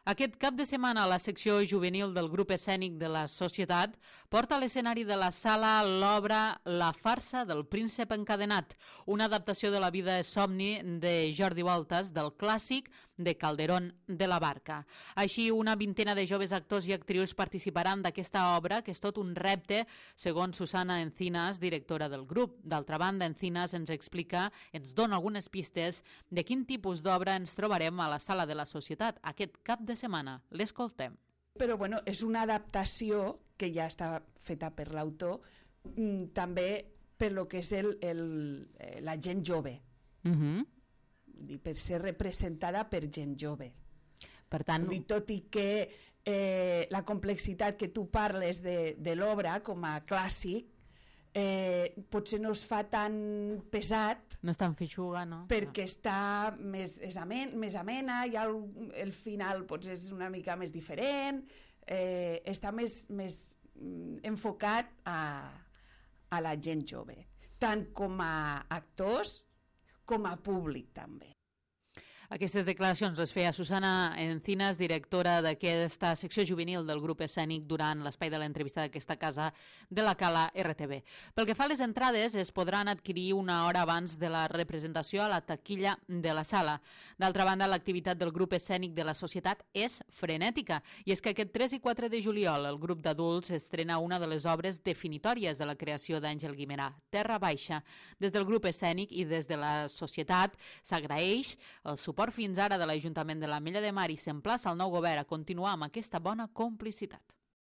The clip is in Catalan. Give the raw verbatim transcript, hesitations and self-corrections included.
Aquest cap de setmana la secció juvenil del grup escènic de la Societat porta a l'escenari de la sala l'obra La farsa del príncep encadenat, una adaptació de la vida somni de Jordi Voltas del clàssic de Calderón de la Barca. Així, una vintena de joves actors i actrius participaran d'aquesta obra, que és tot un repte, segons Susana Encinas, directora del grup. D'altra banda, Encinas ens explica, ens dona algunes pistes de quin tipus d'obra ens trobarem a la sala de la Societat aquest cap de setmana. L'escoltem. Però bueno, és una adaptació que ja està feta per l'autor, també per lo que és el, el, la gent jove. Uh-huh. Per ser representada per gent jove. Per tant, dir, tot i que eh, la complexitat que tu parles de, de l'obra com a clàssic eh, potser no es fa tan pesat, no és tan feixuga, no? Perquè no. Està més, és amen, més amena, i el, el final potser és una mica més diferent, eh, està més, més enfocat a, a la gent jove, tant com a actors com a públic també. Aquestes declaracions les feia Susana Encinas, directora d'aquesta secció juvenil del grup escènic, durant l'espai de l'entrevista d'aquesta casa de la Cala R T V. Pel que fa a les entrades, es podran adquirir una hora abans de la representació a la taquilla de la sala. D'altra banda, l'activitat del grup escènic de la Societat és frenètica, i és que aquest tres i quatre de juliol el grup d'adults estrena una de les obres definitòries de la creació d'Àngel Guimerà, Terra Baixa. Des del grup escènic i des de la Societat s'agraeix el suport fins ara de l'Ajuntament de l'Ametlla de Mar i s'emplaça el nou govern a continuar amb aquesta bona complicitat.